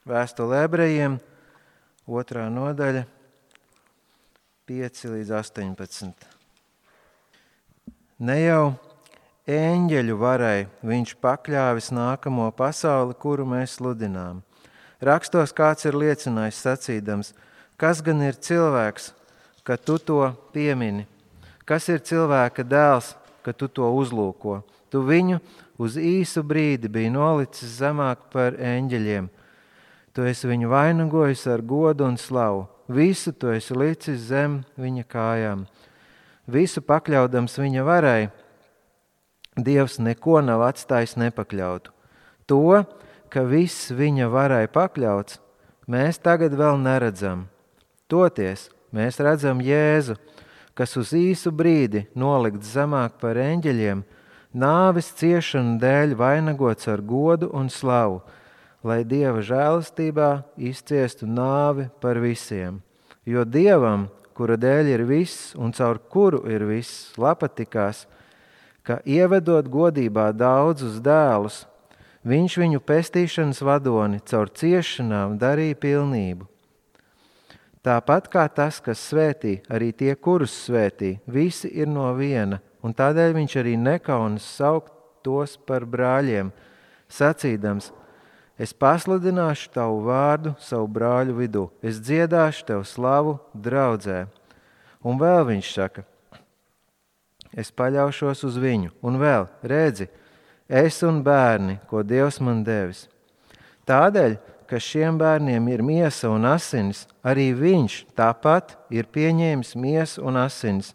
Vēstule ebrejiem, 2. nodaļa, 5 līdz 18. Ne jau eņģeļu varai viņš pakļāvis nākamo pasauli, kuru mēs sludinām. Rakstos kāds ir liecinājis sacīdams, kas gan ir cilvēks, ka tu to piemini? Kas ir cilvēka dēls, ka tu to uzlūko? Tu viņu uz īsu brīdi biji nolicis zemāk par eņģeļiem. Tu esi viņu vainagojis ar godu un slavu. Visu tu esi licis zem viņa kājām. Visu pakļaudams viņa varai, Dievs neko nav atstājis nepakļautu. To, ka viss viņa varai pakļauts, mēs tagad vēl neredzam. Toties mēs redzam Jēzu, kas uz īsu brīdi nolikts zemāk par eņģeļiem, nāves ciešanu dēļ vainagots ar godu un slavu, lai Dieva žēlastībā izciestu nāvi par visiem. Jo Dievam, kura dēļ ir viss un caur kuru ir viss, patikās, ka ievedot godībā daudzus dēlus, viņš viņu pestīšanas vadoni caur ciešanām darīja pilnību. Tāpat kā tas, kas svētī, arī tie, kurus svētī, visi ir no viena, un tādēļ viņš arī nekaunas saukt tos par brāļiem, sacīdams, es pasludināšu tavu vārdu savu brāļu vidū, es dziedāšu tev slavu draudzē. Un vēl viņš saka, es paļaušos uz viņu, un vēl, redzi, es un bērni, ko Dievs man devis. Tādēļ, ka šiem bērniem ir miesa un asinis, arī viņš tāpat ir pieņēmis miesu un asinis,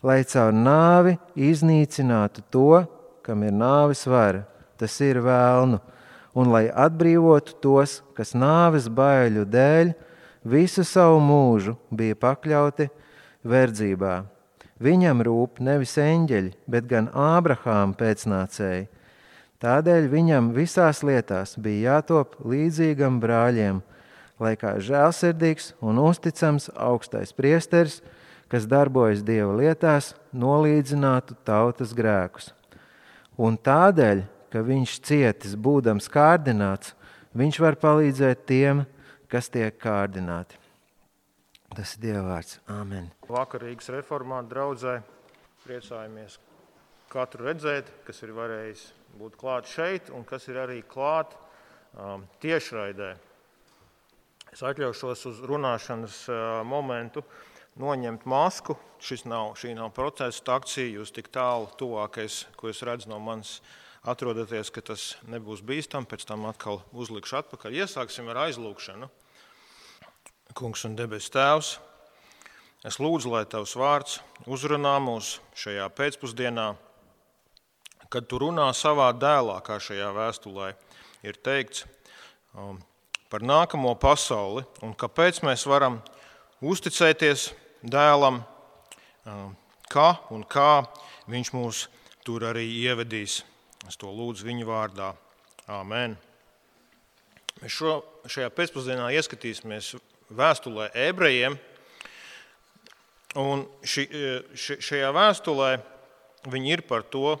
lai caur nāvi iznīcinātu to, kam ir nāves vara, tas ir vēlnu, un lai atbrīvotu tos, kas nāves baiļu dēļ visu savu mūžu bija pakļauti verdzībā. Viņam rūp nevis eņģeļi, bet gan Ābrahāma pēcnācēji. Tādēļ viņam visās lietās bija jātop līdzīgam brāļiem, lai kā žēlsirdīgs un uzticams augstais priesteris, kas darbojas Dieva lietās, nolīdzinātu tautas grēkus. Un tādēļ, ka viņš cietis būdams kārdināts, viņš var palīdzēt tiem, kas tiek kārdināti. Tas ir Dieva vārds. Āmen. Vakarīgas reformātu draudzē priecājamies katru redzēt, kas ir varējis būt klāt šeit un kas ir arī klāt tiešraidē. Es atļaušos uz runāšanas momentu noņemt masku. Šī nav protesta akcija, jūs tik tālu tuvākais, ko es redzu no manis atrodaties, ka tas nebūs bīstam, pēc tam atkal uzlikšu atpakaļ. Iesāksim ar aizlūgšanu. Kungs un debes Tēvs, es lūdzu, lai Tavs vārds uzrunā mūs šajā pēcpusdienā, kad Tu runā savā dēlā, kā šajā vēstulē ir teikts, par nākamo pasauli un kāpēc mēs varam uzticēties dēlam, kā viņš mūs tur arī ievedīs. Es to lūdzu viņa vārdā. Āmen. Mēs šajā pēcpusdienā ieskatīsimies vēstulē ebrejiem, un šajā vēstulē viņi ir par to,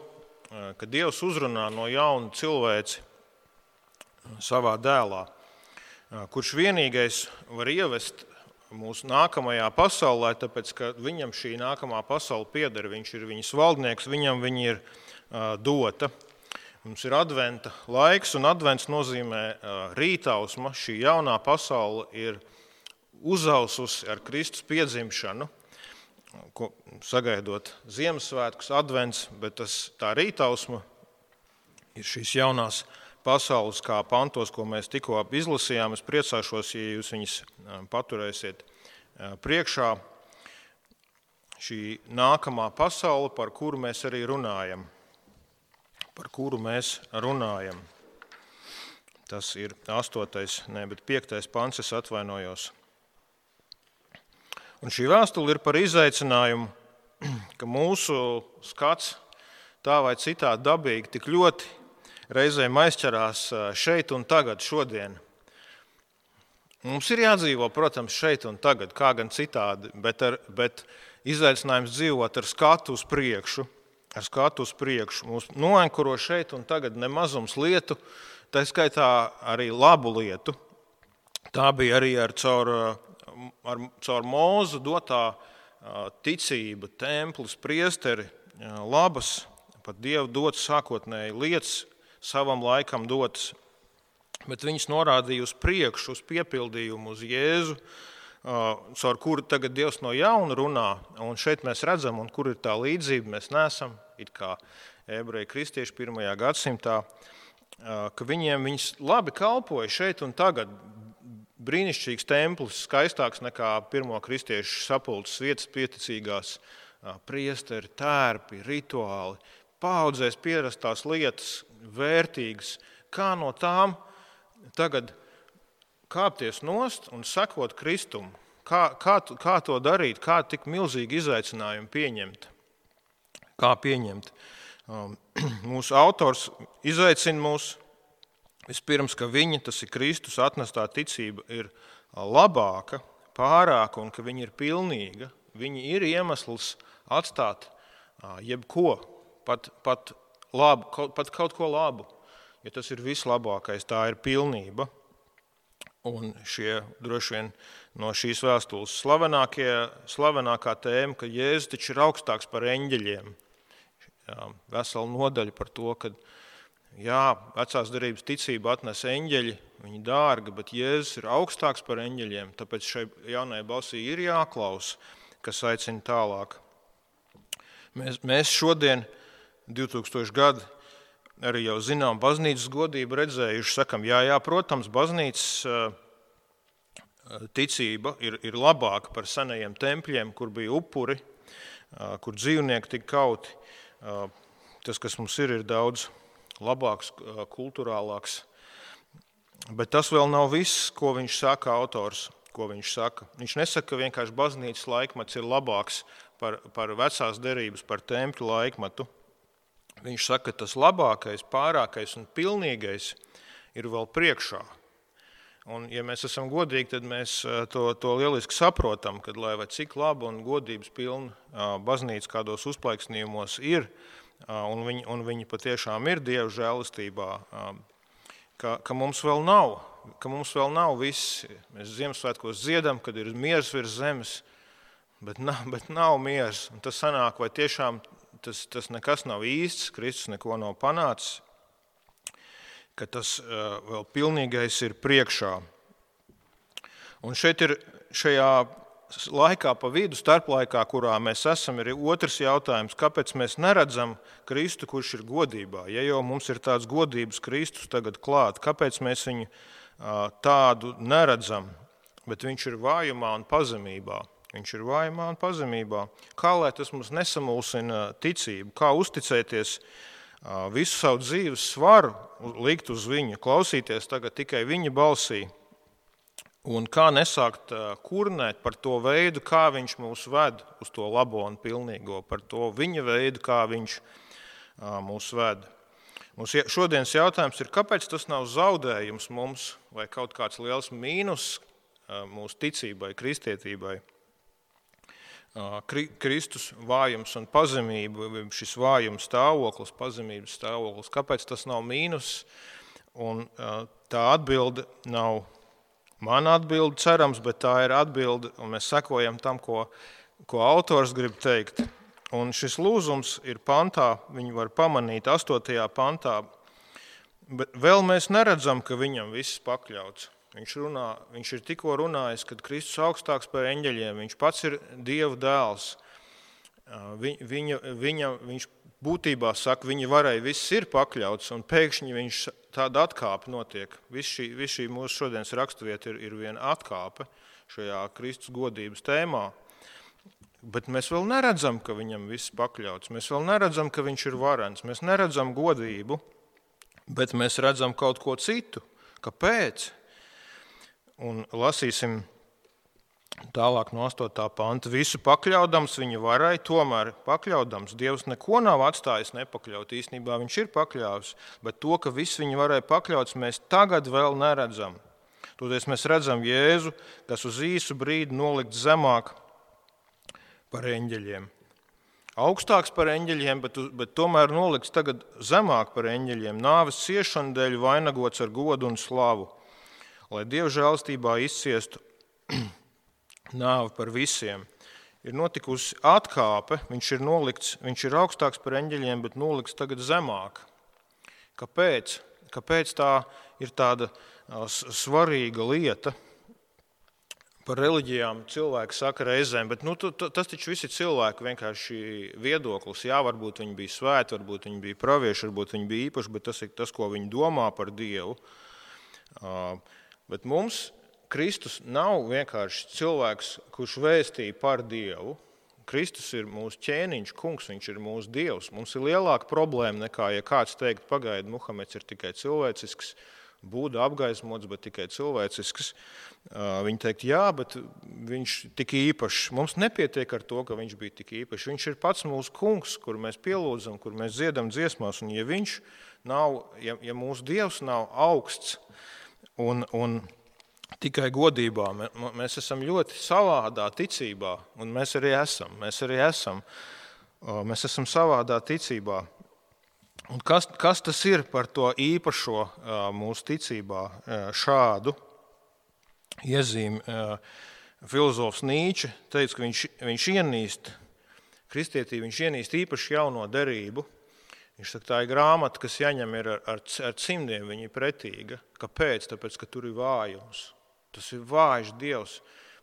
ka Dievs uzrunā no jauna cilvēci savā dēlā, kurš vienīgais var ievest mūsu nākamajā pasaulē, tāpēc, ka viņam šī nākamā pasaule pieder, viņš ir viņas valdnieks, viņam viņa ir dota. Mums ir adventa laiks, un advents nozīmē rītausma. Šī jaunā pasaule ir uzaususi ar Kristus piedzimšanu, sagaidot Ziemassvētkus, advents, bet tā rītausma ir šīs jaunās pasaules kā pantos, ko mēs tikko izlasījām. Es priecāšos, ja jūs viņus paturēsiet priekšā. Šī nākamā pasaule, par kuru mēs arī runājam. Tas ir 5. pants, es atvainojos. Un šī vēstule ir par izaicinājumu, ka mūsu skats tā vai citādi dabīgi tik ļoti reizēm aizķerās šeit un tagad, šodien. Mums ir jādzīvo, protams, šeit un tagad, kā gan citādi, bet izaicinājums dzīvot ar skatu uz priekšu, Mūs noankuro šeit un tagad nemazums lietu, tā skaitā arī labu lietu, Tā bija arī caur Mūzu dotā ticība, templis, priesteri, labas, pat Dievu dotas sākotnēji lietas, savam laikam dotas, bet viņas norādīja uz priekšu, uz piepildījumu, uz Jēzu, caur kuru tagad Dievs no jauna runā, un šeit mēs redzam, un kur ir tā līdzība, mēs neesam, it kā ebreji kristieši 1. gadsimtā, ka viņas labi kalpoja šeit un tagad. Brīnišķīgs templis, skaistāks nekā pirmo kristiešu sapulces vietas pieticīgās, priesteri, tērpi, rituāli, paaudzēs pierastās lietas, vērtīgas, kā no tām tagad kāpties nost un sekot Kristumu, kā to darīt, kā tik milzīgi izaicinājumu pieņemt, kā pieņemt. Mūsu autors izaicina mūs vispirms, ka viņa, tas ir Kristus atnestā ticība, ir labāka, pārāka un ka viņa ir pilnīga. Viņa ir iemesls atstāt jebko, pat kaut ko labu. Ja tas ir vislabākais, tā ir pilnība. Un šie droši vien no šīs vēstules slavenākā tēma, ka Jēzus taču ir augstāks par eņģeļiem. Vesela nodaļa par to, ka jā, vecās derības ticība atnes eņģeļi, viņi dārga, bet Jēzus ir augstāks par eņģeļiem, tāpēc šai jaunajai balsī ir jāklaus, kas aicina tālāk. Mēs šodien, 2000 gadi, arī jau zinām baznīcas godību redzējuši, sakam, jā, protams, baznīcas ticība ir labāka par senajiem tempļiem, kur bija upuri, kur dzīvnieki tika kauti. Tas, kas mums ir daudz labāks, kulturālāks. Bet tas vēl nav viss, ko viņš saka, autors, ko viņš saka. Viņš nesaka, ka vienkārši baznīcas laikmets ir labāks par vecās derības, par tempļu laikmetu. Viņš saka, ka tas labākais, pārākais un pilnīgais ir vēl priekšā. Un, ja mēs esam godīgi, tad mēs to lieliski saprotam, kad lai vai cik laba un godības pilna baznīca kādos uzplaiksnījumos ir, un viņi patiešām ir Dieva žēlastībā, ka mums vēl nav viss. Mēs Ziemassvētkos dziedam, kad ir miers virs zemes, bet nav miers. Un tas sanāk, vai tiešām tas nekas nav īsts, Kristus neko nav panācis, ka tas vēl pilnīgais ir priekšā. Un šeit ir šajā laikā pa vidu, starplaikā, kurā mēs esam, ir otrs jautājums, kāpēc mēs neredzam Kristu, kurš ir godībā. Ja jau mums ir tāds godības Kristus tagad klāt, kāpēc mēs viņu tādu neredzam, bet viņš ir vājumā un pazemībā. Viņš ir vājumā un pazemībā. Kā lai tas mums nesamulsina ticību, kā uzticēties visu savu dzīves svaru, likt uz viņu, klausīties tagad tikai viņa balsī, un kā nesākt kurnēt par to veidu, kā viņš mūs ved uz to labo un pilnīgo, par to viņa veidu, kā viņš mūs ved. Mums šodienas jautājums ir, kāpēc tas nav zaudējums mums vai kaut kāds liels mīnus mūsu ticībai, kristietībai. Kristus vājums un pazemība, šis vājums stāvoklis, pazemības stāvoklis, kāpēc tas nav mīnus? Un tā atbilde nav mana atbilde, cerams, bet tā ir atbilde, un mēs sekojam tam, ko autors grib teikt. Un šis lūzums ir pantā, viņu var pamanīt 8. pantā, bet vēl mēs neredzam, ka viņam viss pakļauts. Viņš ir tikko runājis, kad Kristus augstāks par eņģeļiem, viņš pats ir Dieva dēls. Viņš būtībā saka, viņa varai viss ir pakļauts, un pēkšņi viņš tāda atkāpe notiek. Viss šī mūsu šodienas raksturvieta ir viena atkāpe šajā Kristus godības tēmā. Bet mēs vēl neredzam, ka viņam viss pakļauts. Mēs vēl neredzam, ka viņš ir varens. Mēs neredzam godību, bet mēs redzam kaut ko citu. Kāpēc? Un lasīsim tālāk no 8. panta. Visu pakļaudams viņa varai, tomēr pakļaudams. Dievs neko nav atstājis nepakļaut. Īstenībā viņš ir pakļāvis, bet to, ka viss viņa varai pakļauts, mēs tagad vēl neredzam. Toties mēs redzam Jēzu, kas uz īsu brīdi nolikt zemāk par eņģeļiem. Augstāks par eņģeļiem, bet tomēr nolikts tagad zemāk par eņģeļiem. Nāves ciešanu dēļ vainagots ar godu un slavu. lai Dieva žēlastībā izciestu nāvi par visiem. Ir notikusi atkāpe, viņš ir augstāks par eņģeļiem, bet nolikts tagad zemāk. Kāpēc? Kāpēc tā ir tāda svarīga lieta? Par reliģijām cilvēki saka reizēm, bet tas taču visi cilvēki vienkārši viedoklis. Jā, varbūt viņi bija svēti, varbūt viņi bija pravieši, varbūt viņi bija īpaši, bet tas ir tas, ko viņi domā par Dievu. Bet mums Kristus nav vienkārši cilvēks, kurš vēstīja par Dievu. Kristus ir mūsu ķēniņš, kungs, viņš ir mūsu Dievs. Mums ir lielāka problēma nekā, ja kāds teikt, pagaidi, Muhameds ir tikai cilvēcisks, Buda apgaismots, bet tikai cilvēcisks. Viņi teikt, jā, bet viņš tik īpašs. Mums nepietiek ar to, ka viņš bija tik īpašs. Viņš ir pats mūsu kungs, kur mēs pielūdzam, kur mēs dziedam dziesmās. Un ja viņš nav, ja mūsu Dievs nav augsts un tikai godībā, mēs esam ļoti savādā ticībā, un mēs arī esam. Mēs esam savādā ticībā. Un kas tas ir par to īpašo mūsu ticībā šādu iezīmi? Filozofs Nīče teica, ka viņš ienīst kristietību, viņš ienīst īpaši jauno derību. Viņš saka, tā ir grāmata, kas jāņem ir ar cimdiem, viņa ir pretīga. Kāpēc? Tāpēc, ka tur ir vājums. Tas ir vājš Dievs.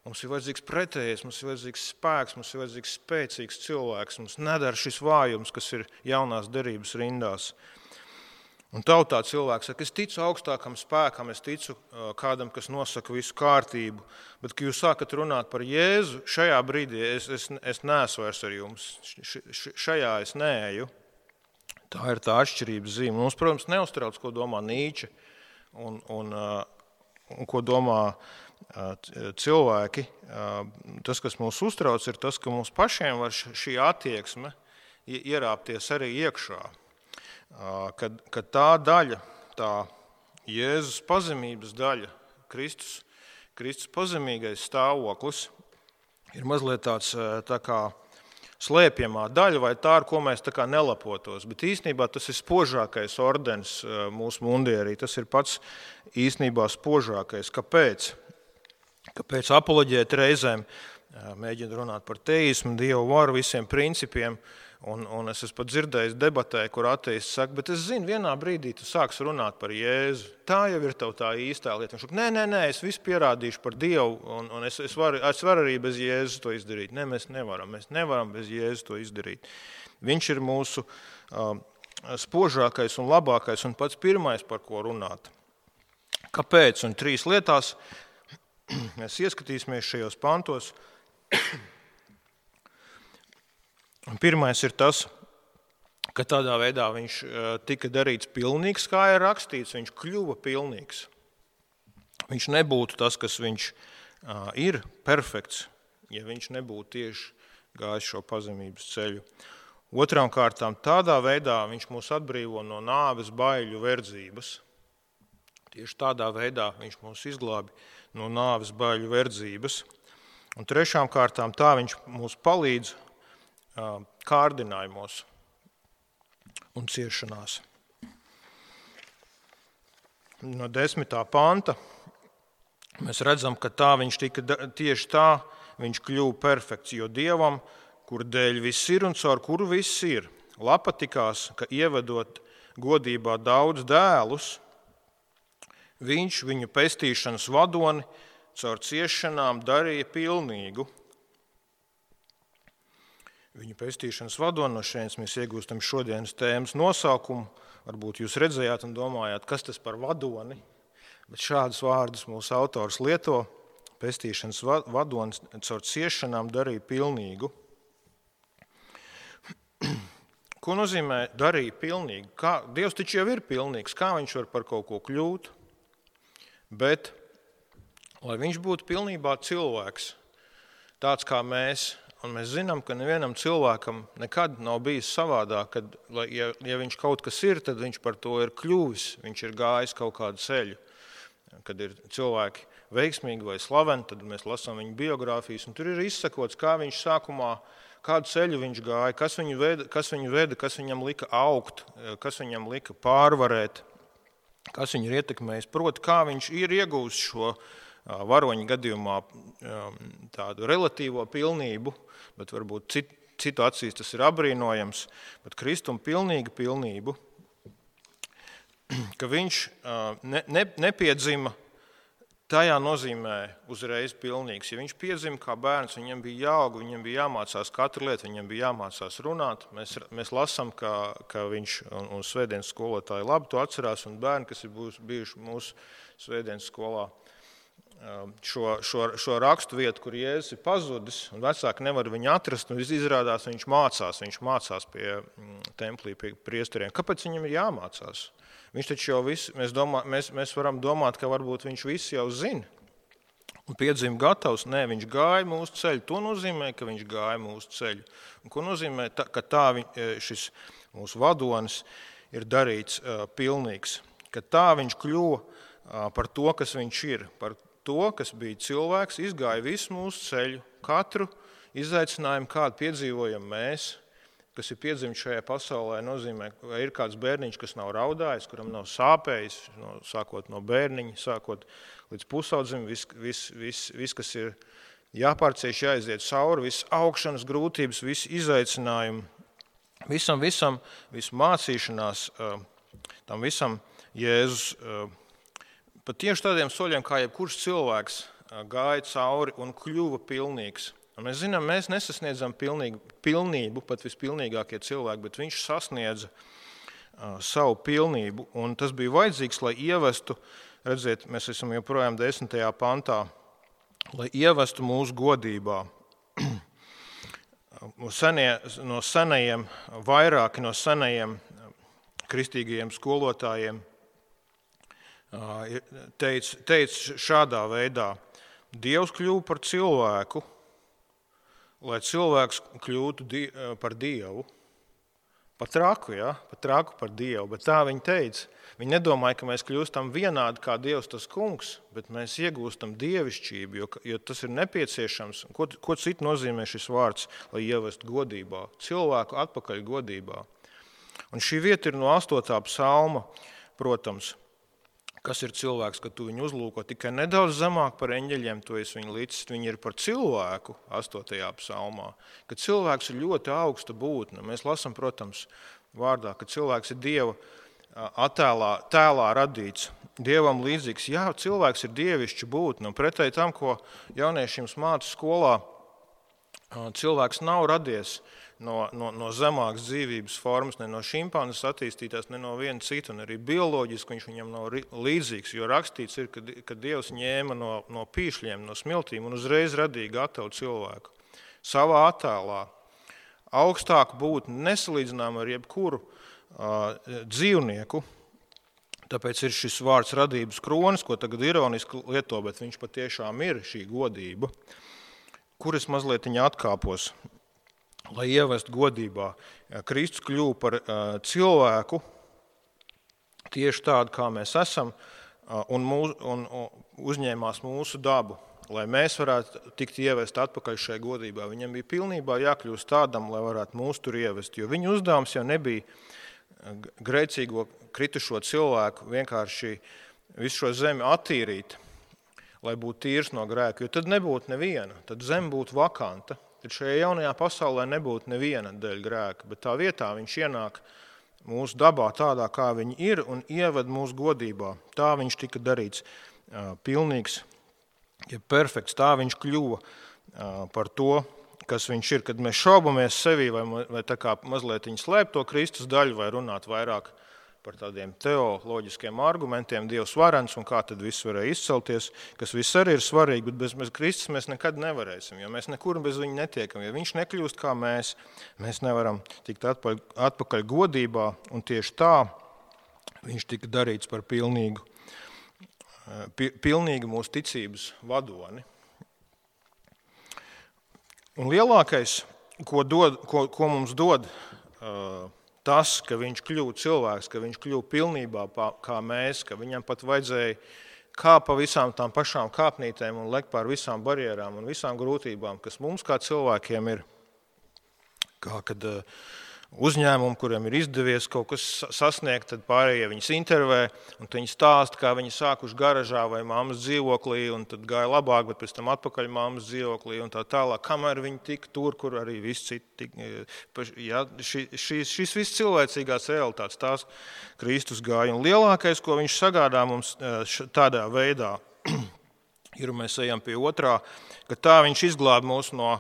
Mums ir vajadzīgs pretējais, mums ir vajadzīgs spēks, mums ir vajadzīgs spēcīgs cilvēks. Mums nedara šis vājums, kas ir jaunās derības rindās. Un tautā cilvēks saka, es ticu augstākam spēkam, es ticu kādam, kas nosaka visu kārtību. Bet, kad jūs sākat runāt par Jēzu, šajā brīdī es neesmu vairs ar jums. Šajā es neeju. Tā ir tā atšķirības zīme. Mums, protams, neuztrauc, ko domā Nīče un ko domā cilvēki. Tas, kas mūs uztrauc, ir tas, ka mums pašiem var šī attieksme ierāpties arī iekšā. Kad tā daļa, tā Jēzus pazemības daļa, Kristus pazemīgais stāvoklis, ir mazliet tāds tā kā slēpjamā daļa, vai tā, ar ko mēs tā kā nelapotos. Bet īstenībā tas ir spožākais ordenis mūsu mundierī. Tas ir pats īstenībā spožākais. Kāpēc? Kāpēc apoloģēti reizēm mēģina runāt par teismu, Dievu varu, visiem principiem, un es esmu pat dzirdējis debatē, kur ateists saka, bet es zinu, vienā brīdī tu sāks runāt par Jēzu. Tā jau ir tev tā īstā lieta. Viņš saka, nē, es visu pierādīšu par Dievu, un es varu arī bez Jēzus to izdarīt. Nē, mēs nevaram bez Jēzus to izdarīt. Viņš ir mūsu spožākais un labākais un pats pirmais, par ko runāt. Kāpēc? Un 3 lietās mēs ieskatīsimies šajos pantos. Pirmais ir tas, ka tādā veidā viņš tika darīts pilnīgs, kā ir rakstīts, viņš kļuva pilnīgs. Viņš nebūtu tas, kas viņš ir perfekts, ja viņš nebūtu tieši gājis šo pazemības ceļu. Otrām kārtām, tādā veidā viņš mūs atbrīvo no nāves baiļu verdzības. Tieši tādā veidā viņš mūs izglābi no nāves baiļu verdzības. Un trešām kārtām tā viņš mūs palīdz kārdinājumos un ciešanās. No 10. panta mēs redzam, ka tieši tā viņš kļuva perfekts, jo Dievam, kur dēļ viss ir un caur kuru viss ir, patikās, ka ievedot godībā daudz dēlus, viņš viņu pestīšanas vadoni caur ciešanām darīja pilnīgu. Viņu pestīšanas vadoni, no šeit mēs iegūstam šodienas tēmas nosaukumu. Varbūt jūs redzējāt un domājāt, kas tas par vadoni, bet šādus vārdus mūsu autors lieto. Pestīšanas vadonis caur ciešanām darīja pilnīgu. Ko nozīmē darīja pilnīgu? Dievs taču jau ir pilnīgs, kā viņš var par kaut ko kļūt? Bet, lai viņš būtu pilnībā cilvēks, tāds kā mēs, un mēs zinām, ka nevienam cilvēkam nekad nav bijis savādāk, kad, ja viņš kaut kas ir, tad viņš par to ir kļuvis, viņš ir gājis kaut kādu ceļu. Kad ir cilvēki veiksmīgi vai slaveni, tad mēs lasām viņu biogrāfijas, un tur ir izsakots, kā viņš sākumā, kādu ceļu viņš gāja, kas viņu veda, kas viņam lika augt, kas viņam lika pārvarēt kas viņu ir ietekmējis, proti, kā viņš ir iegūst šo varoņa gadījumā tādu relatīvo pilnību, bet varbūt citu acīs tas ir apbrīnojams, bet Kristuma pilnīga pilnību, ka viņš nepiedzima tajā nozīmē uzreiz pilnīgs. Ja viņš piedzima kā bērns, viņam bija jāaug, viņam bija jāmācās katru lietu, viņam bija jāmācās runāt. Mēs lasām, ka viņš un svētdienas skolotāji labi to atcerās, un bērni, kas ir bijuši mūsu svētdienas skolā, šo rakstu vietu, kur Jēzus ir pazudis, un vecāki nevar viņu atrast, un izrādās, viņš mācās pie templī, pie priesteriem. Kāpēc viņam ir jāmācās? Viņš taču jau visu, mēs varam domāt, ka varbūt viņš visu jau zina un piedzima gatavs. Nē, viņš gāja mūsu ceļu. To nozīmē, ka viņš gāja mūsu ceļu. Un ko nozīmē, ka šis mūsu vadonis ir darīts pilnīgs. Ka tā viņš kļuva par to, kas viņš ir, par to, kas bija cilvēks, izgāja visu mūsu ceļu, katru izaicinājumu, kādu piedzīvojam mēs, kas ir piedzimts šajā pasaulē, nozīmē, ka ir kāds bērniņš, kas nav raudājis, kuram nav sāpējis, sākot no bērniņa, sākot līdz pusaudzim, viss, kas ir jāpārcieš, jāiziet cauri, viss augšanas grūtības, viss izaicinājumi, visu mācīšanās, tam visam Jēzus pat tieši tādiem soļiem, kā jebkurš cilvēks gāja cauri un kļuva pilnīgs. Un mēs zinām, mēs nesasniedzam pilnību, pat vispilnīgākie cilvēki, bet viņš sasniedza savu pilnību. Un tas bija vajadzīgs, lai ievestu, redziet, mēs esam joprojām 10. pantā, lai ievestu mūsu godībā. No senajiem, vairāki no senajiem kristīgajiem skolotājiem teica šādā veidā: Dievs kļuva par cilvēku, lai cilvēks kļūtu par Dievu. Pat traku par Dievu, bet tā viņi teica. Viņi nedomāja, ka mēs kļūstam vienādi kā Dievs tas kungs, bet mēs iegūstam dievišķību, jo tas ir nepieciešams. Ko citu nozīmē šis vārds, lai ievestu godībā? Cilvēku atpakaļ godībā. Un šī vieta ir no 8. psalma, protams. Kas ir cilvēks, kad tu viņu uzlūko tikai nedaudz zemāk par eņģeļiem, tu esi viņu līdz, viņi ir par cilvēku 8. psalmā, ka cilvēks ir ļoti augsta būtne. Mēs lasām, protams, vārdā, ka cilvēks ir Dieva tēlā radīts, Dievam līdzīgs. Jā, cilvēks ir dievišķa būtne, un pretēji tam, ko jauniešiem māca skolā, cilvēks nav radies no zemākas dzīvības formas, ne no šimpanzes attīstītās, ne no viena cita, un arī bioloģiski viņš viņam nav līdzīgs, jo rakstīts ir, ka Dievs ņēma no pīšļiem, no smiltīm un uzreiz radīja gatavu cilvēku. Savā attēlā augstāku būtni nesalīdzinām ar jebkuru dzīvnieku, tāpēc ir šis vārds radības kronis, ko tagad ironiski lieto, bet viņš patiešām ir šī godība, kur es mazliet viņa atkāpos. Lai ievestu godībā. Kristus kļuva par cilvēku tieši tādu, kā mēs esam, un uzņēmās mūsu dabu, lai mēs varētu tikt ievest atpakaļ šai godībā. Viņam bija pilnībā jākļūst tādam, lai varētu mūs tur ievest, jo viņa uzdevums jau nebija grēcīgo kritušo cilvēku vienkārši visu šo zemi attīrīt, lai būtu tīrs no grēka, jo tad nebūtu neviena, tad zeme būtu vakanta. Tad šajā jaunajā pasaulē nebūtu neviena dēļ grēka, bet tā vietā viņš ienāk mūsu dabā tādā, kā viņi ir, un ieved mūsu godībā. Tā viņš tika darīts pilnīgs, ja perfekts, tā viņš kļuva par to, kas viņš ir. Kad mēs šaubamies sevī vai tā kā mazliet slēpt to Kristus daļu vai runāt vairāk par tādiem teoloģiskiem argumentiem, Dievs varens un kā tad viss varēja izcelties, kas viss arī ir svarīgi, bet bez Kristus mēs nekad nevarēsim, jo mēs nekur bez viņa netiekam. Ja viņš nekļūst kā mēs nevaram tikt atpakaļ godībā, un tieši tā viņš tika darīts par pilnīgu mūsu ticības vadoni. Un lielākais, ko mums dod tas, ka viņš kļuva cilvēks, ka viņš kļuva pilnībā kā mēs, ka viņam pat vajadzēja kāpt pa visām tām pašām kāpnītēm un lekt pār visām barjerām un visām grūtībām, kas mums kā cilvēkiem ir. Kā kad uzņēmumi, kuriem ir izdevies kaut kas sasniegt, tad pārējie viņus intervē, un viņi stāsta, kā viņi sākuši garažā vai mammas dzīvoklī, un tad gāja labāk, bet pēc tam atpakaļ mammas dzīvoklī un tā tālāk, kamēr viņi tika tur, kur arī viss citi. Ja, šīs viss cilvēcīgās realitātes, tās Kristus gāja. Un lielākais, ko viņš sagādā mums tādā veidā, ir, mēs ejam pie otrā, ka tā viņš izglāb mūs no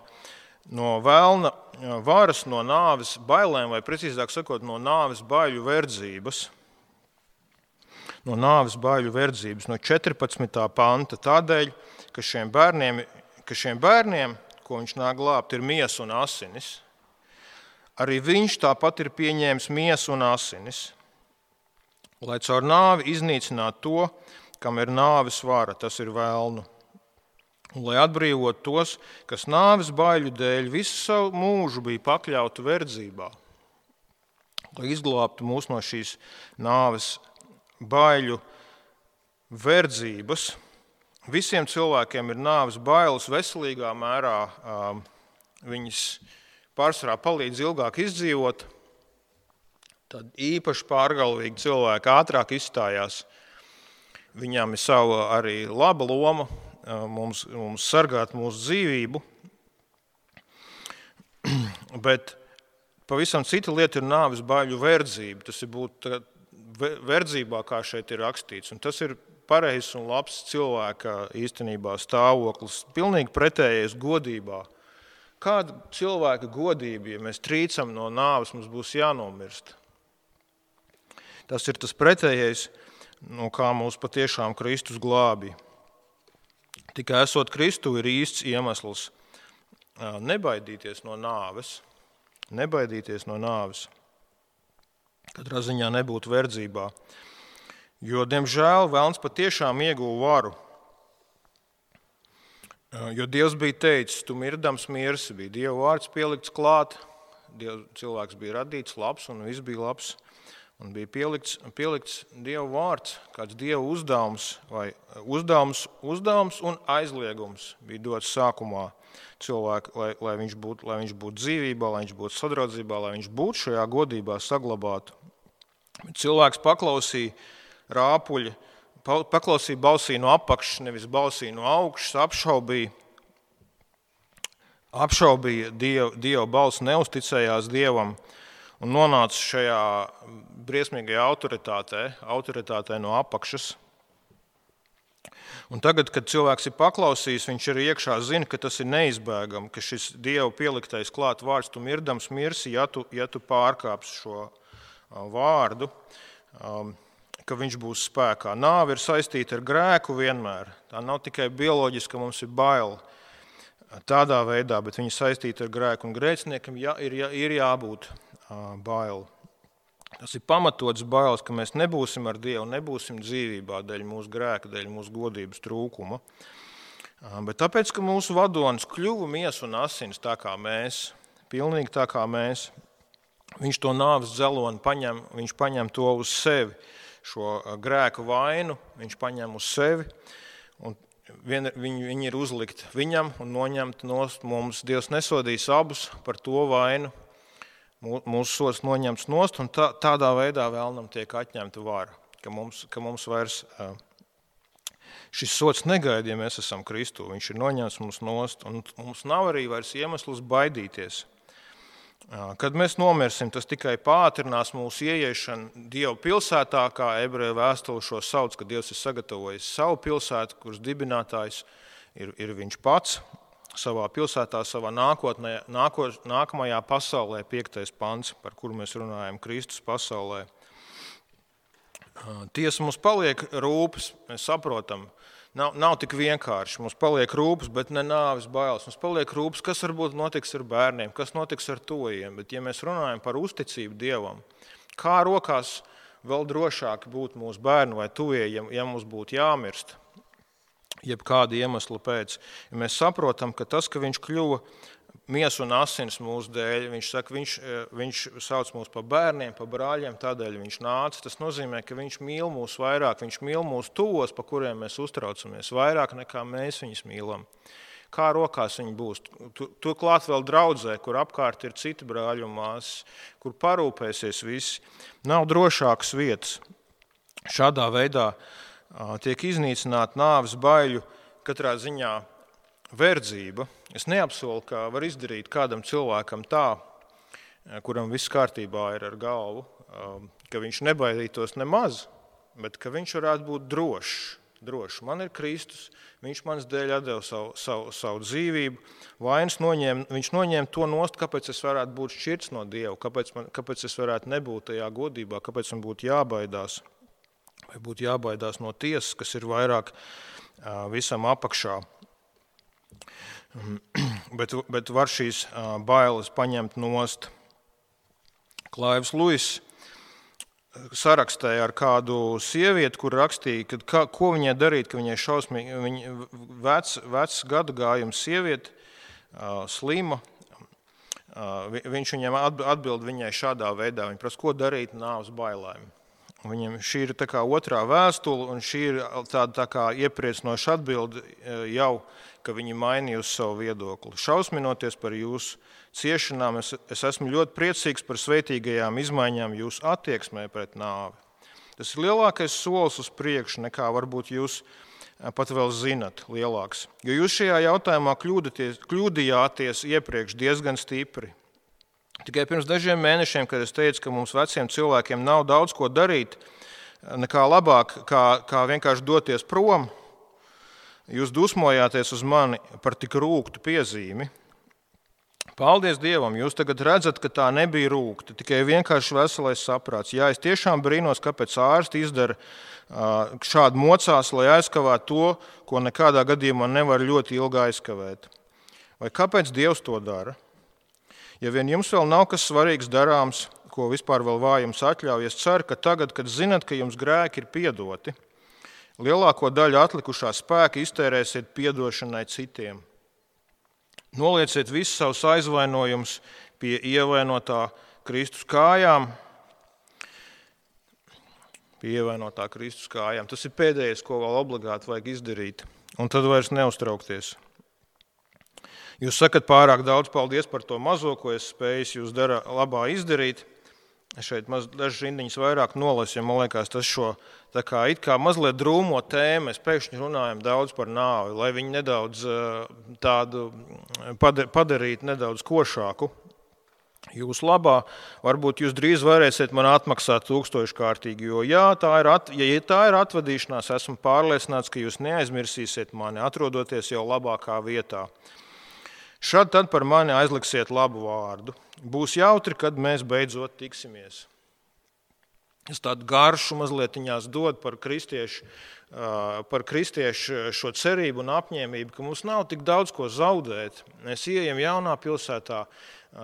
vēlna varas, no nāves bailēm, vai precīzāk sakot, no nāves baiļu verdzības. No nāves baiļu verdzības, no 14. panta. Tādēļ, ka šiem bērniem, ko viņš nāk glābt, ir miesa un asinis, arī viņš tāpat ir pieņēmis miesu un asinis, lai caur nāvi iznīcinātu to, kam ir nāves vara, tas ir vēlnu. Un, lai atbrīvot tos, kas nāves baiļu dēļ visu savu mūžu bija pakļauti verdzībā, lai izglābtu mūs no šīs nāves baiļu verdzības. Visiem cilvēkiem ir nāves bailes veselīgā mērā, viņas pārsvarā palīdz ilgāk izdzīvot, tad īpaši pārgalvīgi cilvēki ātrāk izstājās. Viņām ir sava arī laba loma, mums sargāt mūsu dzīvību, bet pavisam cita lieta ir nāves baiļu verdzība. Tas ir būt verdzībā, kā šeit ir rakstīts, un tas ir pareizs un labs cilvēka īstenībā stāvoklis, pilnīgi pretējais godībā. Kāda cilvēka godība, ja mēs trīcam no nāves, mums būs jānomirst? Tas ir tas pretējais, no kā mūs patiešām Kristus glābja. Tikai esot Kristu ir īsts iemesls nebaidīties no nāves. Nebaidīties no nāves. Katrā ziņā nebūt verdzībā. Jo, diemžēl, velns patiešām ieguva varu. Jo Dievs bija teicis, tu mirdams mirsi, bija Dieva vārds pielikts klāt, cilvēks bija radīts labs un viss bija labs. Un bija pielikts Dieva vārds, kāds Dieva uzdevums, vai uzdevums un aizliegums bija dots sākumā cilvēku, lai viņš būtu dzīvībā, lai viņš būtu sadraudzībā, lai viņš būtu šajā godībā saglabātu. Bet cilvēks paklausīja rāpuļi, paklausīja balsī no apakšas, nevis balsī no augšas, apšaubīja Dieva balsi, neusticējās Dievam, un nonāca šajā briesmīgajā autoritātē no apakšas. Un tagad, kad cilvēks ir paklausījis, viņš arī iekšā zina, ka tas ir neizbēgami, ka šis Dieva pieliktais klāt vārds, tu mirdams mirsi, ja tu pārkāpsi šo vārdu, ka viņš būs spēkā. Nāve ir saistīta ar grēku vienmēr. Tā nav tikai bioloģiska, mums ir baila tādā veidā, bet viņa saistīta ar grēku, un grēciniekam ir jābūt baili. Tas ir pamatots bailes, ka mēs nebūsim ar Dievu, nebūsim dzīvībā dēļ mūsu grēka, dēļ mūsu godības trūkuma. Bet tāpēc, ka mūsu vadonis kļuva miesa un asins tā kā mēs, pilnīgi tā kā mēs, viņš to nāves dzeloni paņem, viņš paņem to uz sevi, šo grēku vainu, viņš paņem uz sevi, un viņi ir uzlikt viņam un noņemt nost mums. Dievs nesodīs abus par to vainu, mūsu sods noņemts nost, un tādā veidā vēlnam tiek atņemta vara, ka mums vairs šis sods negaida, ja mēs esam Kristū. Viņš ir noņemts mums nost, un mums nav arī vairs iemesls baidīties. Kad mēs nomirsim, tas tikai pātrinās mūsu ieiešanu Dieva pilsētā, kā ebreju vēstule šo sauc, ka Dievs ir sagatavojis savu pilsētu, kuras dibinātājs ir viņš pats. Savā pilsētā, savā nākamajā pasaulē, 5. pants, par kuru mēs runājam, Kristus pasaulē. Tiesa, mums paliek rūpes, mēs saprotam, nav tik vienkārši, mums paliek rūpes, bet ne nāves bailes. Mums paliek rūpes, kas varbūt notiks ar bērniem, kas notiks ar tuvajiem, bet ja mēs runājam par uzticību Dievam, kā rokās vēl drošāk būt mūsu bērnu vai tuvie, ja mums būtu jāmirst, jeb kāda iemesla pēc. Ja mēs saprotam, ka tas, ka viņš kļuva miesa un asins mūsu dēļ, viņš saka, viņš sauc mūs par bērniem, par brāļiem, tādēļ viņš nāca. Tas nozīmē, ka viņš mīl mūs vairāk, viņš mīl mūs tuvos, pa kuriem mēs uztraucamies, vairāk nekā mēs viņus mīlam. Kā rokās viņi būs? Turklāt vēl draudzē, kur apkārt ir citi brāļi un māsas, kur parūpēsies visi. Nav drošākas vietas. Šādā veidā tiek iznīcināta nāves baiļu katrā ziņā verdzība. Es neapsolu, ka var izdarīt kādam cilvēkam tā, kuram viss kārtībā ir ar galvu, ka viņš nebaidītos nemaz, bet ka viņš varētu būt drošs. Man ir Kristus, viņš manas dēļ atdeva savu dzīvību, viņš noņēma to nost, kāpēc es varētu būt šķirts no Dieva, kāpēc es varētu nebūt tajā godībā, kāpēc man būtu jābaidās, vai būtu jābaidās no tiesas, kas ir vairāk visam apakšā. Bet var šīs bailes paņemt nost. Klaivs Luis sarakstīja ar kādu sievieti, kur rakstīja, ko viņai darīt, ka viņai šausmīgi, vecs gadu gājums sievieti, slima. Viņš viņam atbild viņai šādā veidā. Viņa prasa, ko darīt nāves bailēm. Viņam šī ir tā kā otrā vēstule, un šī ir tāda tā kā iepriecinoša atbilde jau, ka viņi mainījusi savu viedokli. Šausminoties par jūsu ciešanām, es esmu ļoti priecīgs par svētīgajām izmaiņām jūsu attieksmē pret nāvi. Tas ir lielākais solis uz priekšu, nekā varbūt jūs pat vēl zinat lielāks. Jo jūs šajā jautājumā kļūdījāties iepriekš diezgan stipri. Tikai pirms dažiem mēnešiem, kad es teicu, ka mums veciem cilvēkiem nav daudz ko darīt, nekā labāk, kā vienkārši doties prom, jūs dusmojāties uz mani par tik rūgtu piezīmi. Paldies Dievam, jūs tagad redzat, ka tā nebija rūgta, tikai vienkārši veselais saprāts. Jā, es tiešām brīnos, kāpēc ārsti izdara šādu mocās, lai aizkavētu to, ko nekādā gadījumā nevar ļoti ilgi aizkavēt. Vai kāpēc Dievs to dara? Ja vien jums vēl nav kas svarīgs darāms, ko vispār vēl vājums atļauj, es ceru, ka tagad, kad zinat, ka jums grēki ir piedoti, lielāko daļu atlikušā spēka iztērēsiet piedošanai citiem. Nolieciet visus savus aizvainojumus pie ievainotā Kristus kājām. Tas ir pēdējais, ko vēl obligāti vajag izdarīt, un tad vairs neuztraukties. Jūs sakat pārāk daudz paldies par to mazo, ko es spēju jūs labā izdarīt. Šeit dažas rindiņas vairāk nolasīju, man liekas, tas šo tā kā it kā mazliet drūmo tēmu. Mēs pēkšņi runājam daudz par nāvi, lai viņi nedaudz tādu padarītu nedaudz košāku. Jūs labā, varbūt jūs drīz varēsiet man atmaksāt 1000-kārtīgi, jo ja tā ir atvadīšanās, esmu pārliecināts, ka jūs neaizmirsīsiet mani, atrodoties jau labākā vietā. Šad tad par mani aizliksiet labu vārdu. Būs jautri, kad mēs beidzot tiksimies. Es tādu garšu mazlietiņās dod par kristiešu šo cerību un apņēmību, ka mums nav tik daudz ko zaudēt. Mēs ieejam jaunā pilsētā,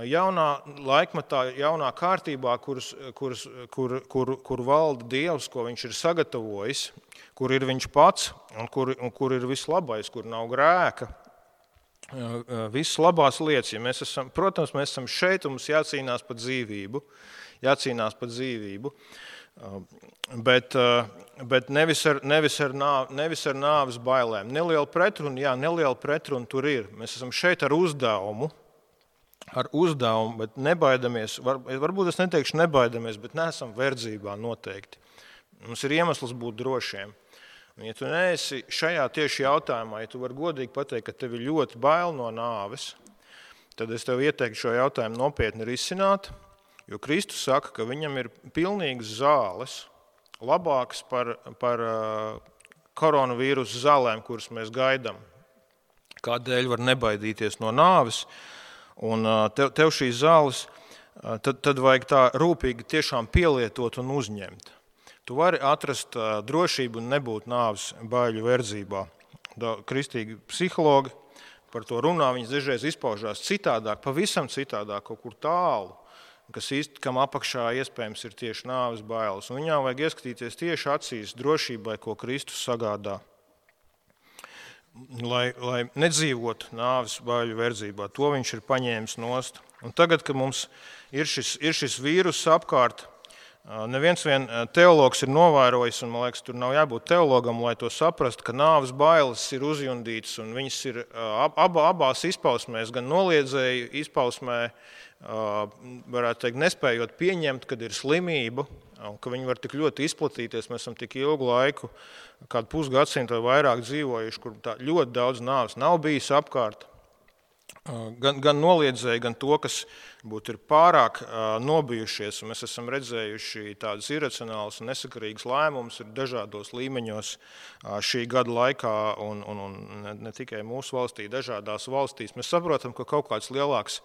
jaunā laikmatā, jaunā kārtībā, kur valda Dievs, ko viņš ir sagatavojis, kur ir viņš pats un kur ir viss labais, kur nav grēka. Visas labās lietas, ja mēs esam šeit un mums jācīnās par dzīvību, bet nevis ar nāves bailēm. Neliela pretruna tur ir. Mēs esam šeit ar uzdevumu, bet nebaidamies, varbūt es neteikšu nebaidamies, bet neesam verdzībā noteikti. Mums ir iemesls būt drošiem. Un, ja tu neesi šajā tieši jautājumā, ja tu vari godīgi pateikt, ka tev ir ļoti bail no nāves, tad es tev ieteiktu šo jautājumu nopietni risināt, jo Kristus saka, ka viņam ir pilnīgas zāles, labākas par koronavīrusu zālēm, kuras mēs gaidām. Kādēļ var nebaidīties no nāves, un tev šīs zāles, tad vajag tā rūpīgi tiešām pielietot un uzņemt. Tu vari atrast drošību un nebūt nāves baiļu verdzībā. Kristīgi psihologi par to runā, viņas dažreiz izpaužās citādāk, pavisam citādāk, kaut kur tālu, kam apakšā iespējams ir tieši nāves bailes. Un viņām vajag ieskatīties tieši acīs drošībai, ko Kristus sagādā, lai nedzīvotu nāves baiļu verdzībā. To viņš ir paņēmis nost. Un tagad, kad mums ir šis vīrus apkārt, Neviens vien teologs ir novērojis, un man liekas, tur nav jābūt teologam, lai to saprastu, ka nāves bailes ir uzjundītas, un viņas ir abās izpausmēs, gan noliedzēju izpausmē, varētu teikt, nespējot pieņemt, kad ir slimība, un ka viņi var tik ļoti izplatīties. Mēs esam tik ilgu laiku, kādu pusgadsimtu vai vairāk dzīvojuši, kur ļoti daudz nāves nav bijis apkārt. Gan noliedzēji, gan to, kas būtu ir pārāk nobijušies. Mēs esam redzējuši tādas iracionālas un nesakarīgas lēmumus ir dažādos līmeņos šī gada laikā, un ne tikai mūsu valstī, dažādās valstīs. Mēs saprotam, ka kaut kāds lielāks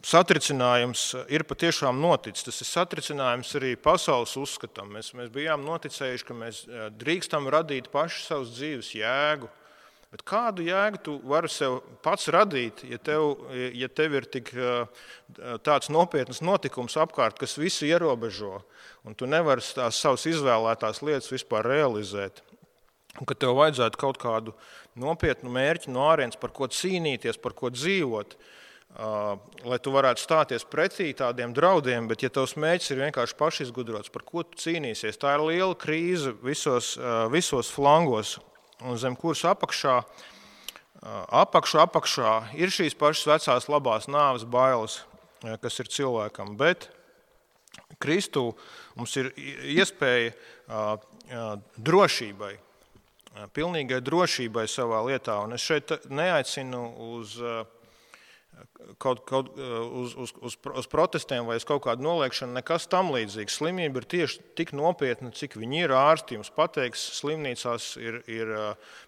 satricinājums ir patiešām noticis. Tas ir satricinājums arī pasaules uzskatam. Mēs bijām noticējuši, ka mēs drīkstam radīt paši savus dzīves jēgu. Bet kādu jēgu tu vari sev pats radīt, ja tev ir tik tāds nopietnas notikums apkārt, kas visu ierobežo, un tu nevari tās savas izvēlētās lietas vispār realizēt? Un ka tev vajadzētu kaut kādu nopietnu mērķi no ārienes, par ko cīnīties, par ko dzīvot, lai tu varētu stāties pretī tādiem draudiem, bet ja tavs mērķis ir vienkārši pašizgudrots, par ko tu cīnīsies, tā ir liela krīze visos flangos. Un zem kuras apakšā ir šīs pašas vecās labās nāves bailes, kas ir cilvēkam. Bet Kristū mums ir iespēja drošībai, pilnīgai drošībai savā lietā. Un es šeit neaicinu uz protestiem vai uz kaut kādu noliekšanu, nekas tam līdzīgs. Slimība ir tieši tik nopietna, cik viņi ir. Ārsti jums pateiks, slimnīcās ir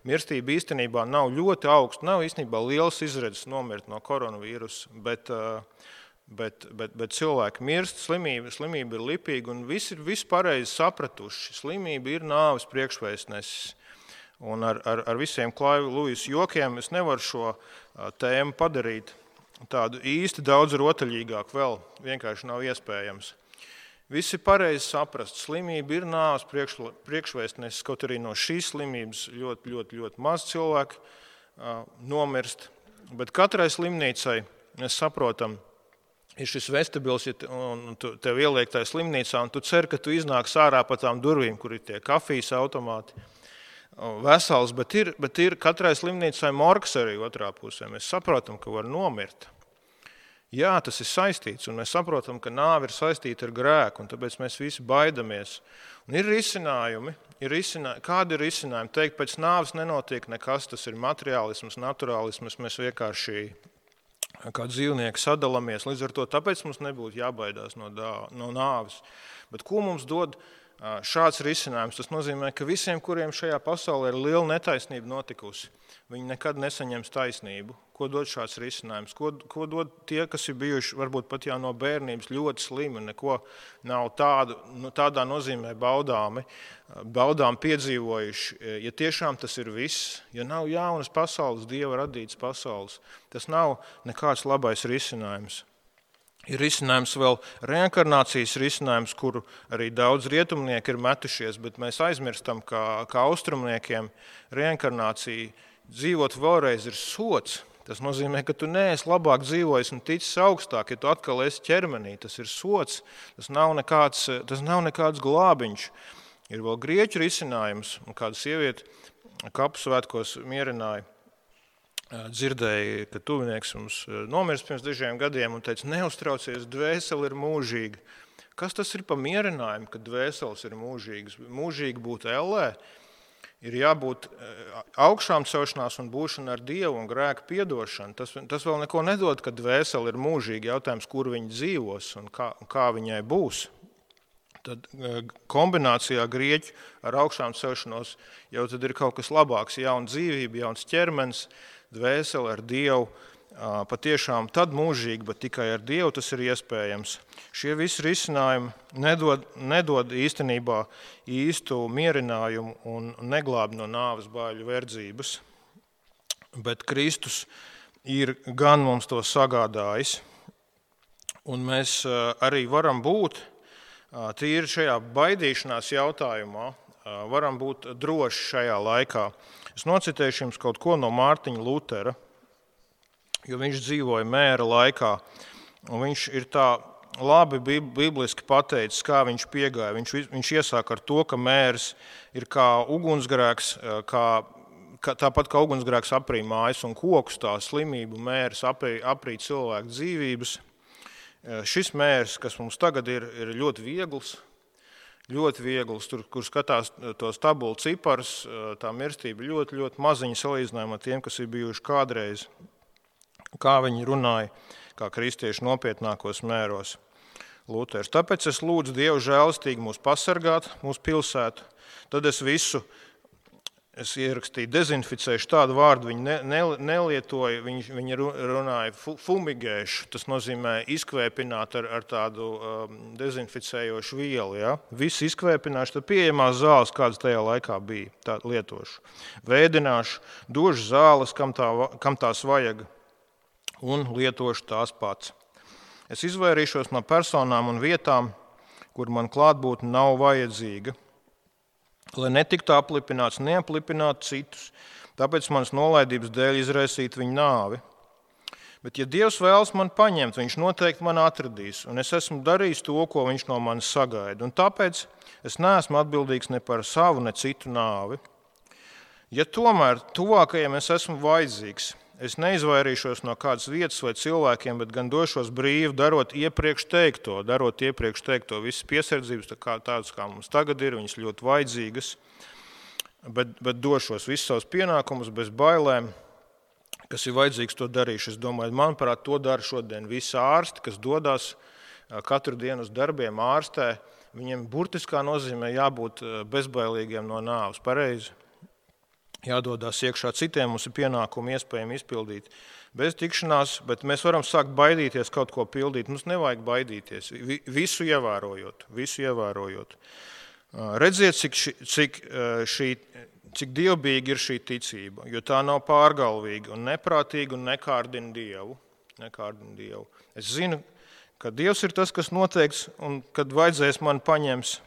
mirstība īstenībā nav ļoti augsta, nav īstenībā liels izredzes nomirt no koronavīrusa, bet cilvēki mirst, slimība ir lipīga, un visi ir pareizi sapratuši. Slimība ir nāves priekšvēstnesis. Un ar visiem Klaiva Luisa jokiem es nevaru šo tēmu padarīt tādu īsti daudz rotaļīgāk, vēl vienkārši nav iespējams. Visi pareizi saprast, slimība ir nāves priekšvēstnesis, kaut arī no šīs slimības ļoti, ļoti, ļoti maz cilvēku nomirst. Bet katrai slimnīcai, mēs saprotam, ir šis vestibils, un tev ieliek tajā slimnīcā, un tu cer, ka tu iznāks ārā pa tām durvīm, kur ir tie kafijas automāti. Vesels, bet ir katrai slimnīcai morgs arī otrā pusē. Mēs saprotam, ka var nomirt. Jā, tas ir saistīts, un mēs saprotam, ka nāve ir saistīta ar grēku, un tāpēc mēs visi baidamies. Un ir risinājumi. Kādi ir risinājumi? Teikt, pēc nāves nenotiek nekas, tas ir materiālisms, naturālisms, mēs vienkārši kā dzīvnieki sadalamies. Līdz ar to tāpēc mums nebūtu jābaidās no nāves. Bet ko mums dod šāds risinājums? Tas nozīmē, ka visiem, kuriem šajā pasaulē ir liela netaisnība notikusi, viņi nekad nesaņems taisnību. Ko dod šāds risinājums? Ko dod tie, kas ir bijuši varbūt pat jau no bērnības ļoti slimi, neko nav tādā nozīmē baudām piedzīvojuši? Ja tiešām tas ir viss, ja nav jaunas pasaules, Dieva radītas pasaules, tas nav nekāds labais risinājums. Ir risinājums vēl reinkarnācijas risinājums, kuru arī daudz rietumnieki ir metušies, bet mēs aizmirstam, kā austrumniekiem reinkarnācija dzīvot vēlreiz ir sots. Tas nozīmē, ka tu neesi labāk dzīvojis un ticis augstāk, ja tu atkal esi ķermenī. Tas ir sots, tas nav nekāds glābiņš. Ir vēl grieķu risinājums, un kāda sieviete kapu svētkos mierināja. Dzirdēja, ka tuvinieks mums nomirst pirms dažiem gadiem un teica, neuztraucies, dvēsele ir mūžīga. Kas tas ir pa mierinājumu, ka dvēseles ir mūžīgas? Mūžīgi būt ellē, ir jābūt augšām celšanās un būšana ar Dievu un grēka piedošana. Tas vēl neko nedod, ka dvēsele ir mūžīga. Jautājums, kur viņa dzīvos un kā viņai būs. Tad kombinācijā grieķu ar augšām celšanos jau tad ir kaut kas labāks, jauna dzīvība, jauns ķermenis, dvēseli ar Dievu, patiešām tad mūžīgi, bet tikai ar Dievu tas ir iespējams. Šie visi risinājumi nedod īstenībā īstu mierinājumu un neglāb no nāves baiļu verdzības, bet Kristus ir gan mums to sagādājis, un mēs arī varam būt tīri šajā baidīšanās jautājumā, varam būt droši šajā laikā. Es nocitēšu jums kaut ko no Mārtiņa Lutera, jo viņš dzīvoja mēra laikā, un viņš ir tā labi bibliski pateicis, kā viņš piegāja. Viņš iesāk ar to, ka mērs ir kā ugunsgrēks, tāpat kā ugunsgrēks aprī mājas un kokus, tā slimību mērs aprī cilvēku dzīvības. Šis mērs, kas mums tagad ir ļoti viegls, kur skatās tos tabulu ciparus, tā mirstība ļoti, ļoti maziņa salīdzinājumā tiem, kas ir bijuši kādreiz, kā viņi runāja, kā kristieši nopietnākos mēros. Luters. Tāpēc es lūdzu Dievu žēlastīgi mūs pasargāt, mūsu pilsētu. Tad es ierakstīju, dezinficēšu tādu vārdu, viņi nelietoja, viņi runāja fumigēšu, tas nozīmē izkvēpināt ar tādu dezinficējošu vielu. Ja? Visu izkvēpināšu, tad pieejamās zāles, kādas tajā laikā bija, tā lietošu. Vēdināšu, došu zāles, kam tās vajag, un lietošu tās pats. Es izvairīšos no personām un vietām, kur man klātbūtne nav vajadzīga, lai netiktu aplipināts, neaplipināt citus, tāpēc manas nolaidības dēļ izraisīt viņu nāvi. Bet, ja Dievs vēlas man paņemt, viņš noteikti man atradīs, un es esmu darījis to, ko viņš no manis sagaida, un tāpēc es neesmu atbildīgs ne par savu, ne citu nāvi. Ja tomēr tuvākajiem es esmu vajadzīgs, es neizvairīšos no kādas vietas vai cilvēkiem, bet gan došos brīvi, darot iepriekš teikto, visas piesardzības, tādas kā mums tagad ir, viņas ļoti vajadzīgas, bet došos visus savus pienākumus bez bailēm, kas ir vajadzīgs to darīšu. Es domāju, manuprāt, to dara šodien visi ārsti, kas dodas katru dienu uz darbiem ārstē, viņiem burtiskā nozīmē jābūt bezbailīgiem no nāves, pareizi. Jādodās iekšā citiem, mums ir pienākumi iespējami izpildīt bez tikšanās, bet mēs varam sākt baidīties kaut ko pildīt. Mums nevajag baidīties, visu ievērojot. Redziet, cik dievbijīga ir šī ticība, jo tā nav pārgalvīga un neprātīga un nekārdina Dievu. Es zinu, ka Dievs ir tas, kas noteikts, un kad vajadzēs man paņems,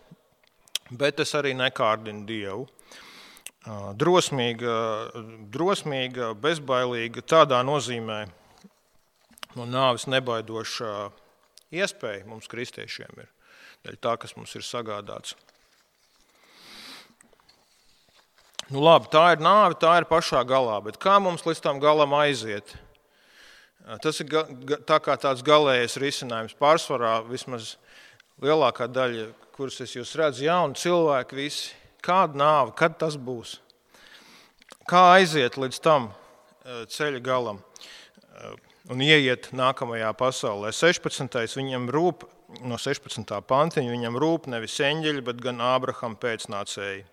bet es arī nekārdinu Dievu. Drosmīga, bezbailīga, tādā nozīmē no nāves nebaidošā iespēja mums kristiešiem ir, dēļ tā, kas mums ir sagādāts. Nu labi, tā ir nāve, tā ir pašā galā, bet kā mums līdz tam galam aiziet? Tas ir tā kā tāds galējais risinājums. Pārsvarā vismaz lielākā daļa, kuras es jūs redzu, jauni cilvēki visi. Kāda nāve, kad tas būs? Kā aiziet līdz tam ceļa galam un ieiet nākamajā pasaulē? 16. viņam rūp, no 16. pantiņa, viņam rūp nevis eņģeļi, bet gan Ābrahama pēcnācēji.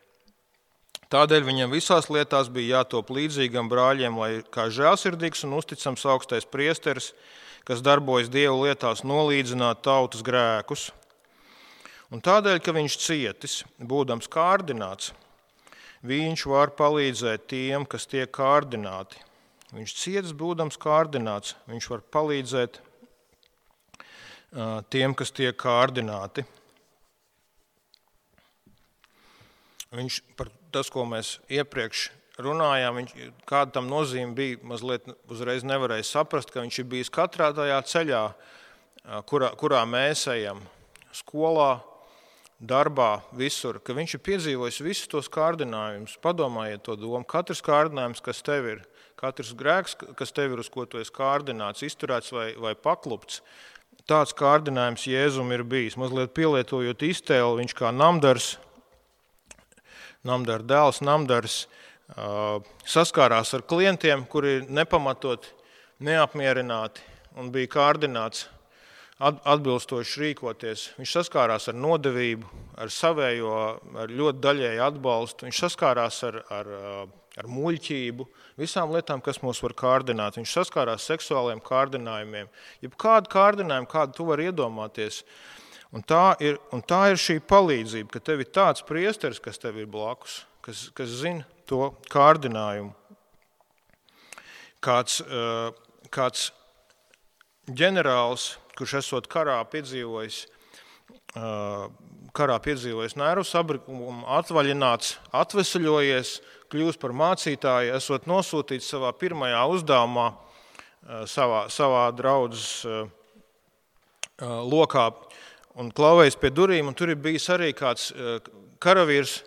Tādēļ viņam visās lietās bija jātop līdzīgam brāļiem, lai kā žēlsirdīgs un uzticams augstais priesteris, kas darbojas Dievu lietās, nolīdzinātu tautas grēkus. Un tādēļ, ka viņš cietis, būdams kārdināts, viņš var palīdzēt tiem, kas tiek kārdināti. Viņš cietis, būdams kārdināts, viņš var palīdzēt tiem, kas tiek kārdināti. Viņš par tas, ko mēs iepriekš runājām, kāda tam nozīme bija, mazliet uzreiz nevarēja saprast, ka viņš ir bijis katrā tajā ceļā, kurā mēs ejam, skolā, darbā, visur, ka viņš ir piedzīvojis visus tos kārdinājumus. Padomājiet to domu. Katrs kārdinājums, kas tev ir, katrs grēks, kas tev ir, uz ko tu esi kārdināts, izturēts vai paklupts, tāds kārdinājums Jēzum ir bijis. Mazliet pielietojot iztēli, viņš kā namdars dēls, saskārās ar klientiem, kuri nepamatot, neapmierināti un bija kārdināts atbilstoši rīkoties. Viņš saskārās ar nodevību, ar savējo, ar ļoti daļēju atbalstu. Viņš saskārās ar muļķību, visām lietām, kas mūs var kārdināt. Viņš saskārās seksuāliem kārdinājumiem. Jebkādu kārdinājumu, kādu tu vari iedomāties. Un tā ir šī palīdzība, ka tev ir tāds priesteris, kas tev ir blakus, kas zina to kārdinājumu. Kāds ģenerālis, kurš esot karā piedzīvojis nervu sabrikumu, atvaļināts, atvesaļojies, kļūst par mācītāju, esot nosūtīts savā pirmajā uzdevumā savā draudzes lokā un klauvējis pie durvīm, un tur ir bijis arī kāds karavīrs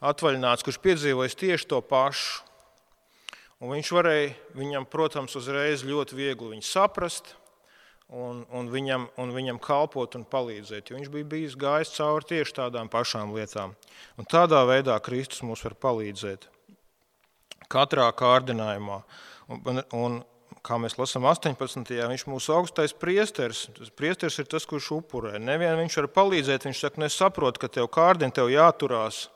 atvaļināts, kurš piedzīvojis tieši to pašu. Un viņš varēja viņam, protams, uzreiz ļoti viegli viņu saprast un viņam kalpot un palīdzēt, jo viņš bija bijis gājis cauri tieši tādām pašām lietām. Un tādā veidā Kristus mums var palīdzēt. Katrā kārdinājumā. Un kā mēs lasām 18. viņš mūsu augstais priesteris. Priesteris ir tas, kurš upurē. Nevien viņš var palīdzēt, viņš saka, es saprotu, ka tev kārdina, tev jāturās.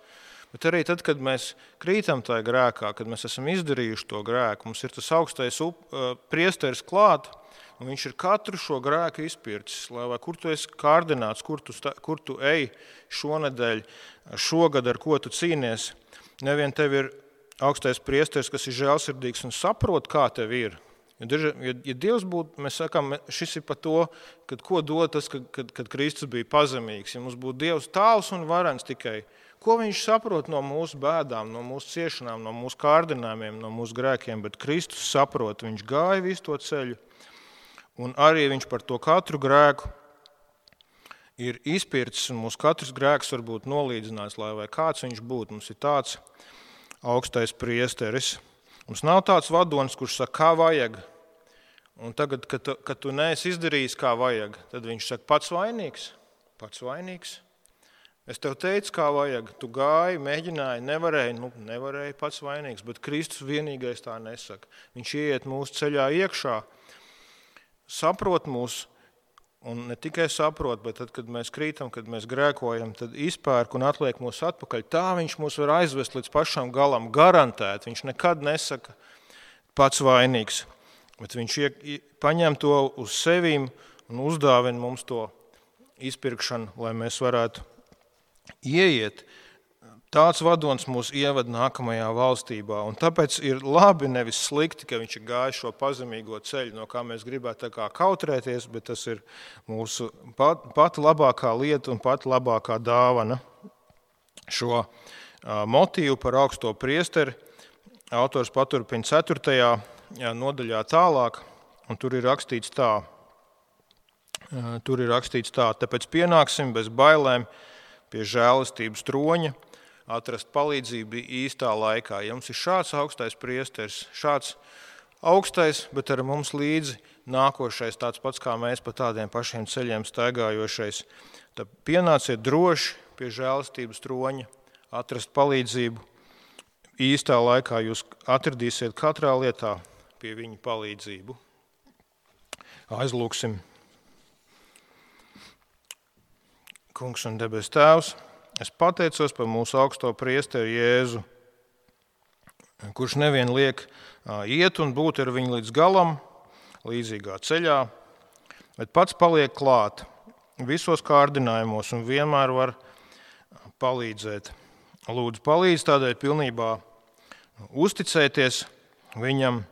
Bet arī tad, kad mēs krītam tajā grēkā, kad mēs esam izdarījuši to grēku, mums ir tas augstais priesteris klāt, un viņš ir katru šo grēku izpircis. Lai kur tu esi kārdināts, kur tu ej šonedēļ, šogad, ar ko tu cīnies. Nevien tev ir augstais priesteris, kas ir žēlsirdīgs un saprot, kā tev ir. Ja Dievs būtu, mēs sakām, šis ir par to, kad ko dod tas, kad Kristus bija pazemīgs. Ja mums būtu Dievs tāls un varens tikai, ko viņš saprot no mūsu bēdām, no mūsu ciešanām, no mūsu kārdinājumiem, no mūsu grēkiem, bet Kristus saprot, viņš gāja visu to ceļu, un arī viņš par to katru grēku ir izpircis, un mūsu katrs grēks var būt nolīdzināts, lai vai kāds viņš būtu. Mums ir tāds augstais priesteris. Mums nav tāds vadonis, kurš saka, kā vajag. Un tagad, kad tu neesi izdarījis, kā vajag, tad viņš saka, pats vainīgs. Es tev teicu, kā vajag, tu gāji, mēģināji, nevarēji pats vainīgs, bet Kristus vienīgais tā nesaka. Viņš ieiet mūsu ceļā iekšā, saprot mūs, un ne tikai saprot, bet tad, kad mēs krītam, kad mēs grēkojam, tad izpērk un atliek mūs atpakaļ. Tā viņš mūs var aizvest līdz pašam galam, garantēt. Viņš nekad nesaka pats vainīgs, bet viņš paņem to uz sevīm un uzdāvina mums to izpirkšanu, lai mēs varētu ieiet. Tāds vadonis mūs ieved nākamajā valstībā, un tāpēc ir labi, nevis slikti, ka viņš ir gājis šo pazemīgo ceļu, no kā mēs gribētu tā kā kautrēties, bet tas ir mūsu pat labākā lieta un pat labākā dāvana. Šo motīvu par augsto priesteri autors paturpina 4. nodaļā tālāk, un tur ir rakstīts tā. Tāpēc pienāksim bez bailēm pie žēlistības troņa, atrast palīdzību īstā laikā. Ja mums ir šāds augstais priesteris, šāds augstais, bet ar mums līdzi nākošais, tāds pats kā mēs pa tādiem pašiem ceļiem staigājošais, tad pienāciet droši pie žēlistības troņa, atrast palīdzību īstā laikā. Jūs atradīsiet katrā lietā pie viņa palīdzību. Aizlūksim. Kungs un debes Tēvs, es pateicos par mūsu augsto priesteri Jēzu, kurš nevien liek iet un būt ar viņu līdz galam, līdzīgā ceļā, bet pats paliek klāt visos kārdinājumos un vienmēr var palīdzēt. Lūdzu, palīdz tādēļ pilnībā uzticēties viņam,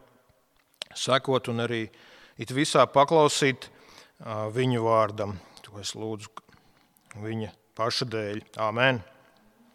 sekot un arī it visā paklausīt viņu vārdam. To es lūdzu viņa paša dēļ. Āmen.